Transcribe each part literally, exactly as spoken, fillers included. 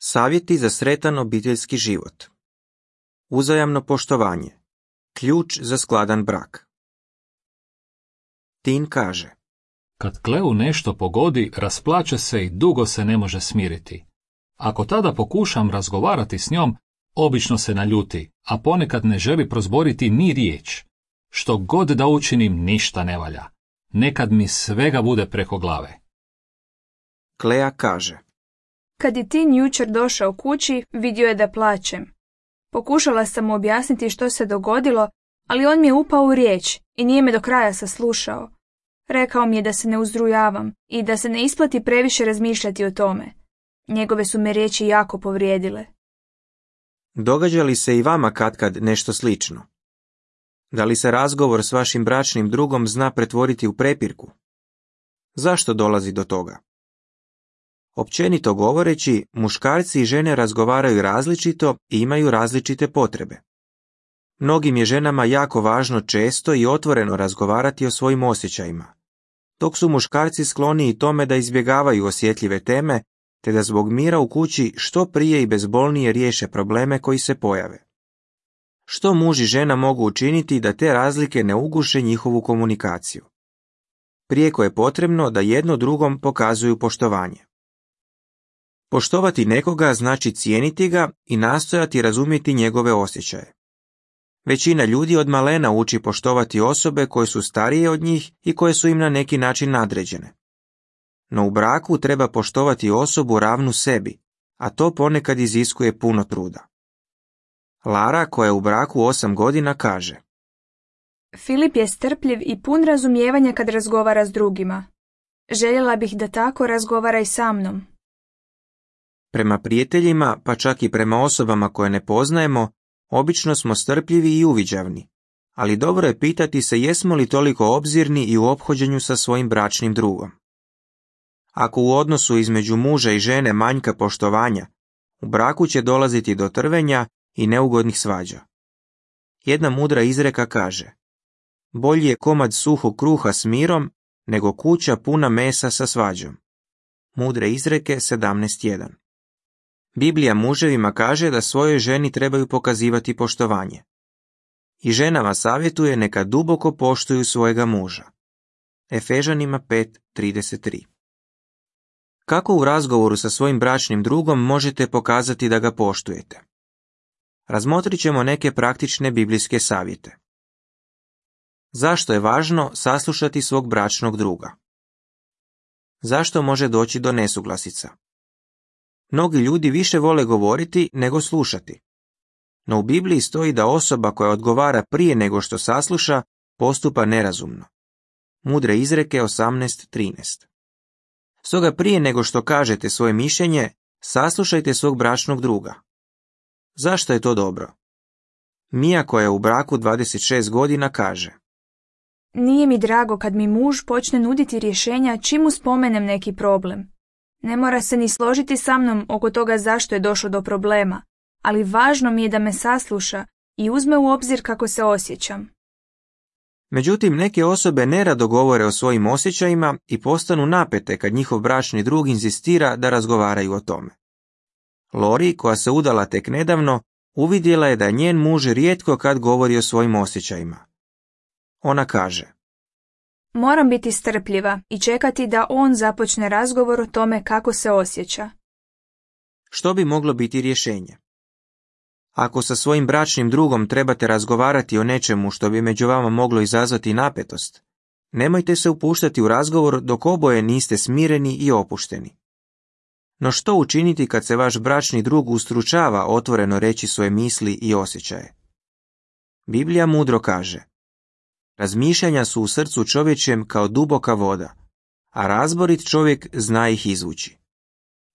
Savjeti za sretan obiteljski život. Uzajamno poštovanje. Ključ za skladan brak. Tin kaže: Kad Kleu nešto pogodi, rasplače se i dugo se ne može smiriti. Ako tada pokušam razgovarati s njom, obično se naljuti, a ponekad ne želi prozboriti ni riječ. Što god da učinim, ništa ne valja. Nekad mi svega bude preko glave. Klea kaže: Kad je Tin jučer došao kući, vidio je da plačem. Pokušala sam mu objasniti što se dogodilo, ali on mi je upao u riječ i nije me do kraja saslušao. Rekao mi je da se ne uzrujavam i da se ne isplati previše razmišljati o tome. Njegove su me riječi jako povrijedile. Događa li se i vama katkad nešto slično? Da li se razgovor s vašim bračnim drugom zna pretvoriti u prepirku? Zašto dolazi do toga? Općenito govoreći, muškarci i žene razgovaraju različito i imaju različite potrebe. Mnogim je ženama jako važno često i otvoreno razgovarati o svojim osjećajima, dok su muškarci skloniji tome da izbjegavaju osjetljive teme, te da zbog mira u kući što prije i bezbolnije riješe probleme koji se pojave. Što muž i žena mogu učiniti da te razlike ne uguše njihovu komunikaciju? Prijeko je potrebno da jedno drugom pokazuju poštovanje. Poštovati nekoga znači cijeniti ga i nastojati razumjeti njegove osjećaje. Većina ljudi od malena uči poštovati osobe koje su starije od njih i koje su im na neki način nadređene. No u braku treba poštovati osobu ravnu sebi, a to ponekad iziskuje puno truda. Lara, koja je u braku osam godina, kaže: Filip je strpljiv i pun razumijevanja kad razgovara s drugima. Željela bih da tako razgovara i sa mnom. Prema prijateljima, pa čak i prema osobama koje ne poznajemo, obično smo strpljivi i uviđavni, ali dobro je pitati se jesmo li toliko obzirni i u ophođenju sa svojim bračnim drugom. Ako u odnosu između muža i žene manjka poštovanja, u braku će dolaziti do trvenja i neugodnih svađa. Jedna mudra izreka kaže: bolji je komad suhog kruha s mirom nego kuća puna mesa sa svađom. Mudre izreke sedamnaest jedan. Biblija muževima kaže da svojoj ženi trebaju pokazivati poštovanje. I ženama savjetuje neka duboko poštuju svojega muža. Efežanima pet trideset tri. Kako u razgovoru sa svojim bračnim drugom možete pokazati da ga poštujete? Razmotrit ćemo neke praktične biblijske savjete. Zašto je važno saslušati svog bračnog druga? Zašto može doći do nesuglasica? Mnogi ljudi više vole govoriti nego slušati. No u Bibliji stoji da osoba koja odgovara prije nego što sasluša postupa nerazumno. Mudre izreke osamnaest trinaest. Stoga prije nego što kažete svoje mišljenje, saslušajte svog bračnog druga. Zašto je to dobro? Mija, koja je u braku dvadeset šest godina, kaže: Nije mi drago kad mi muž počne nuditi rješenja čim mu spomenem neki problem. Ne mora se ni složiti sa mnom oko toga zašto je došlo do problema, ali važno mi je da me sasluša i uzme u obzir kako se osjećam. Međutim, neke osobe nerado govore o svojim osjećajima i postanu napete kad njihov bračni drug inzistira da razgovaraju o tome. Lori, koja se udala tek nedavno, uvidjela je da njen muž rijetko kad govori o svojim osjećajima. Ona kaže: Moram biti strpljiva i čekati da on započne razgovor o tome kako se osjeća. Što bi moglo biti rješenje? Ako sa svojim bračnim drugom trebate razgovarati o nečemu što bi među vama moglo izazvati napetost, nemojte se upuštati u razgovor dok oboje niste smireni i opušteni. No što učiniti kad se vaš bračni drug ustručava otvoreno reći svoje misli i osjećaje? Biblija mudro kaže: razmišljanja su u srcu čovječjem kao duboka voda, a razborit čovjek zna ih izvući.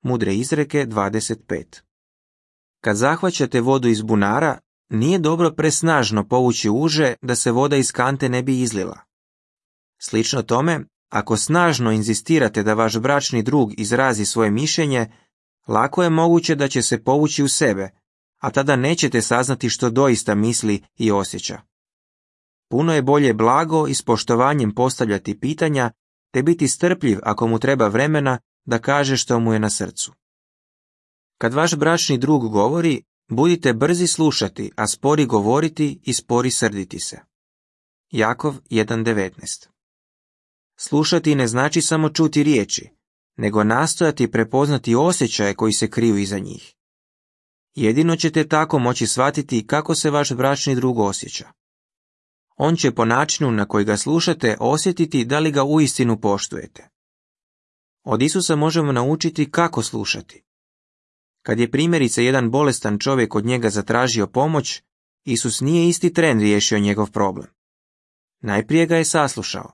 Mudre izreke dvadeset pet. Kad zahvaćate vodu iz bunara, nije dobro presnažno povući uže da se voda iz kante ne bi izlila. Slično tome, ako snažno inzistirate da vaš bračni drug izrazi svoje mišljenje, lako je moguće da će se povući u sebe, a tada nećete saznati što doista misli i osjeća. Puno je bolje blago i s poštovanjem postavljati pitanja, te biti strpljiv ako mu treba vremena da kaže što mu je na srcu. Kad vaš bračni drug govori, budite brzi slušati, a spori govoriti i spori srditi se. Jakov jedan devetnaest. Slušati ne znači samo čuti riječi, nego nastojati prepoznati osjećaje koji se kriju iza njih. Jedino ćete tako moći shvatiti kako se vaš bračni drug osjeća. On će po načinu na koji ga slušate osjetiti da li ga uistinu poštujete. Od Isusa možemo naučiti kako slušati. Kad je primjerice jedan bolestan čovjek od njega zatražio pomoć, Isus nije isti tren riješio njegov problem. Najprije ga je saslušao.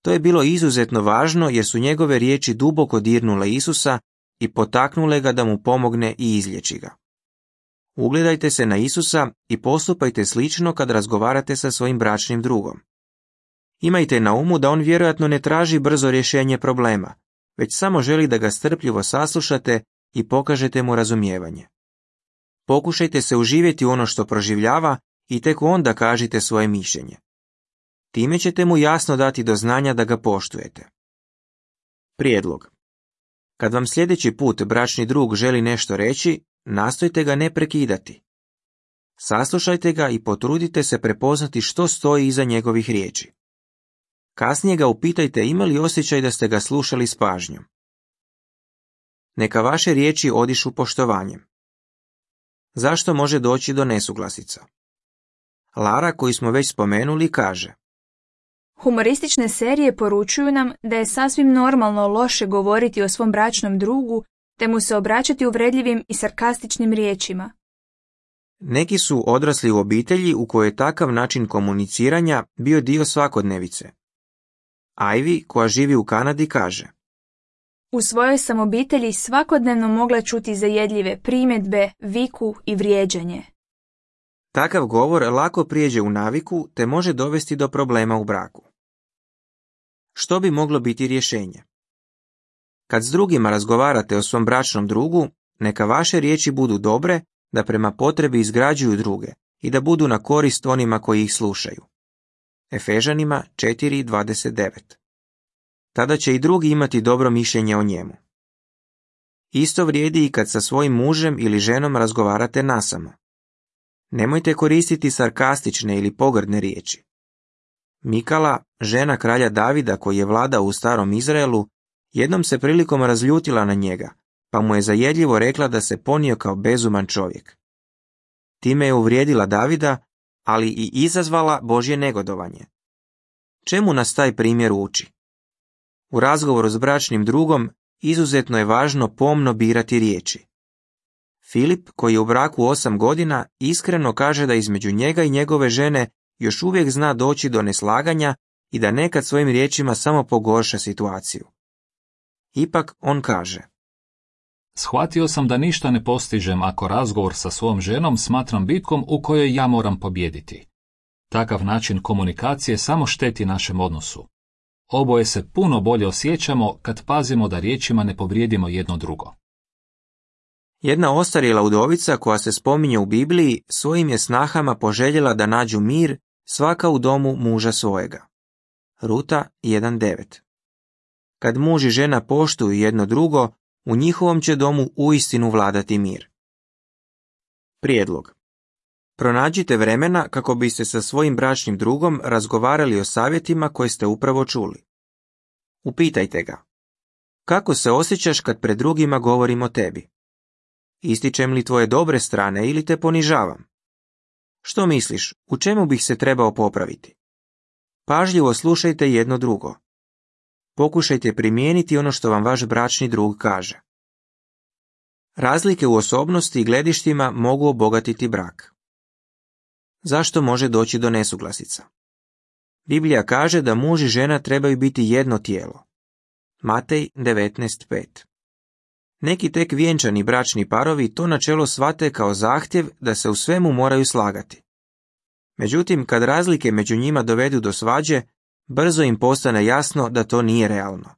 To je bilo izuzetno važno jer su njegove riječi duboko dirnule Isusa i potaknule ga da mu pomogne i izliječi ga. Ugledajte se na Isusa i postupajte slično kad razgovarate sa svojim bračnim drugom. Imajte na umu da on vjerojatno ne traži brzo rješenje problema, već samo želi da ga strpljivo saslušate i pokažete mu razumijevanje. Pokušajte se uživjeti u ono što proživljava i tek onda kažite svoje mišljenje. Time ćete mu jasno dati do znanja da ga poštujete. Prijedlog. Kad vam sljedeći put bračni drug želi nešto reći, nastojte ga ne prekidati. Saslušajte ga i potrudite se prepoznati što stoji iza njegovih riječi. Kasnije ga upitajte ima li osjećaj da ste ga slušali s pažnjom. Neka vaše riječi odišu poštovanjem. Zašto može doći do nesuglasica? Lara, koju smo već spomenuli, kaže: Humoristične serije poručuju nam da je sasvim normalno loše govoriti o svom bračnom drugu, te mu se obraćati uvredljivim i sarkastičnim riječima. Neki su odrasli u obitelji u kojoj je takav način komuniciranja bio dio svakodnevice. Ivy, koja živi u Kanadi, kaže: U svojoj sam obitelji svakodnevno mogla čuti zajedljive primjedbe, viku i vrijeđanje. Takav govor lako prijeđe u naviku te može dovesti do problema u braku. Što bi moglo biti rješenje? Kad s drugima razgovarate o svom bračnom drugu, neka vaše riječi budu dobre, da prema potrebi izgrađuju druge i da budu na korist onima koji ih slušaju. Efežanima četiri dvadeset devet. Tada će i drugi imati dobro mišljenje o njemu. Isto vrijedi i kad sa svojim mužem ili ženom razgovarate nasamo. Nemojte koristiti sarkastične ili pogrdne riječi. Mikala, žena kralja Davida koji je vladao u starom Izraelu, jednom se prilikom razljutila na njega, pa mu je zajedljivo rekla da se ponio kao bezuman čovjek. Time je uvrijedila Davida, ali i izazvala Božje negodovanje. Čemu nas taj primjer uči? U razgovoru s bračnim drugom izuzetno je važno pomno birati riječi. Filip, koji je u braku osam godina, iskreno kaže da između njega i njegove žene još uvijek zna doći do neslaganja i da nekad svojim riječima samo pogorša situaciju. Ipak on kaže: Shvatio sam da ništa ne postižem ako razgovor sa svojom ženom smatram bitkom u kojoj ja moram pobijediti. Takav način komunikacije samo šteti našem odnosu. Oboje se puno bolje osjećamo kad pazimo da riječima ne povrijedimo jedno drugo. Jedna ostarjela udovica koja se spominje u Bibliji svojim je snahama poželjela da nađu mir svaka u domu muža svojega. Ruta jedan devet. Kad muž i žena poštuju jedno drugo, u njihovom će domu uistinu vladati mir. Prijedlog. Pronađite vremena kako biste sa svojim bračnim drugom razgovarali o savjetima koje ste upravo čuli. Upitajte ga: kako se osjećaš kad pred drugima govorim o tebi? Ističem li tvoje dobre strane ili te ponižavam? Što misliš, u čemu bih se trebao popraviti? Pažljivo slušajte jedno drugo. Pokušajte primijeniti ono što vam vaš bračni drug kaže. Razlike u osobnosti i gledištima mogu obogatiti brak. Zašto može doći do nesuglasica? Biblija kaže da muž i žena trebaju biti jedno tijelo. Matej devetnaest pet. Neki tek vjenčani bračni parovi to načelo shvate kao zahtjev da se u svemu moraju slagati. Međutim, kad razlike među njima dovedu do svađe, brzo im postane jasno da to nije realno.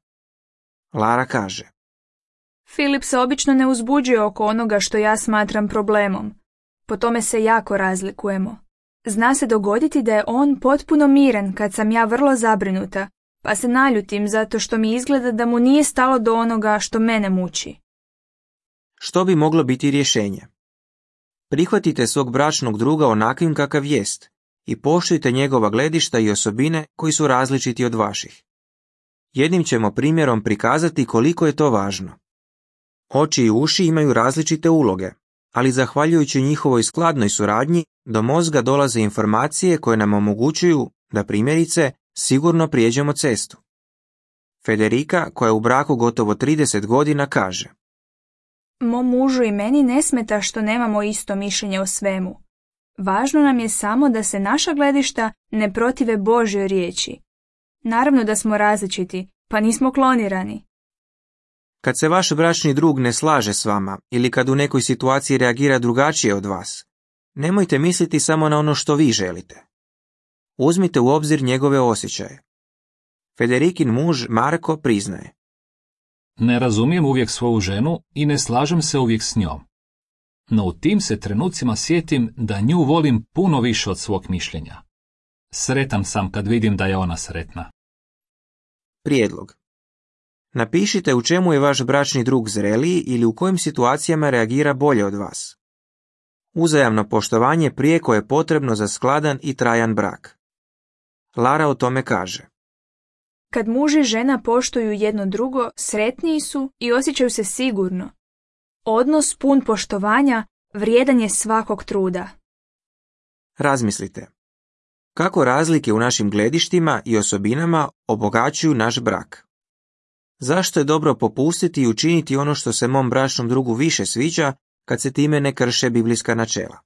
Lara kaže: Filip se obično ne uzbuđuje oko onoga što ja smatram problemom. Po tome se jako razlikujemo. Zna se dogoditi da je on potpuno miran kad sam ja vrlo zabrinuta, pa se naljutim zato što mi izgleda da mu nije stalo do onoga što mene muči. Što bi moglo biti rješenje? Prihvatite svog bračnog druga onakvim kakav jest i poštujte njegova gledišta i osobine koji su različiti od vaših. Jednim ćemo primjerom prikazati koliko je to važno. Oči i uši imaju različite uloge, ali zahvaljujući njihovoj skladnoj suradnji do mozga dolaze informacije koje nam omogućuju da primjerice sigurno prijeđemo cestu. Federica, koja je u braku gotovo trideset godina, kaže: Mom mužu i meni ne smeta što nemamo isto mišljenje o svemu. Važno nam je samo da se naša gledišta ne protive Božjoj riječi. Naravno da smo različiti, pa nismo klonirani. Kad se vaš bračni drug ne slaže s vama ili kad u nekoj situaciji reagira drugačije od vas, nemojte misliti samo na ono što vi želite. Uzmite u obzir njegove osjećaje. Federikin muž Marko priznaje: Ne razumijem uvijek svoju ženu i ne slažem se uvijek s njom. No u tim se trenucima sjetim da nju volim puno više od svog mišljenja. Sretan sam kad vidim da je ona sretna. Prijedlog. Napišite u čemu je vaš bračni drug zreliji ili u kojim situacijama reagira bolje od vas. Uzajamno poštovanje prijeko je potrebno za skladan i trajan brak. Lara o tome kaže: Kad muž i žena poštuju jedno drugo, sretniji su i osjećaju se sigurno. Odnos pun poštovanja vrijedan je svakog truda. Razmislite. Kako razlike u našim gledištima i osobinama obogaćuju naš brak? Zašto je dobro popustiti i učiniti ono što se mom bračnom drugu više sviđa kad se time ne krše biblijska načela?